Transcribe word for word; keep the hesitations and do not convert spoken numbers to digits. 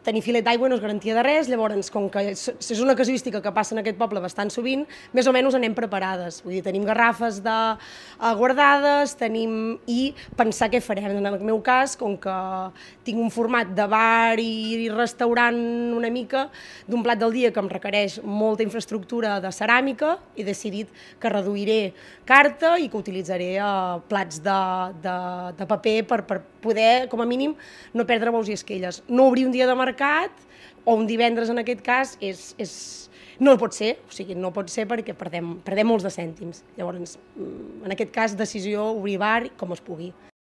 tenir filet d'aigua no és garantia de res, llavors, com que és una casuística que passa en aquest poble bastant sovint, més o menys anem preparades. Vull dir, tenim garrafes de, uh, guardades, tenim... i pensar què farem. En el meu cas, com que tinc un format de bar i restaurant una mica, d'un plat del dia que em requereix molta infraestructura de ceràmica, he decidit que reduiré carta i que utilitzaré uh, plats de, de, de paper per, per poder, com a mínim, no perdre bous i esquelles. No obrir un dia de mercat, o un divendres en aquest cas, és, és, no pot ser, o sigui, no pot ser perquè perdem, perdem molts de cèntims. Llavors, en aquest cas, decisió obrir bar com es pugui.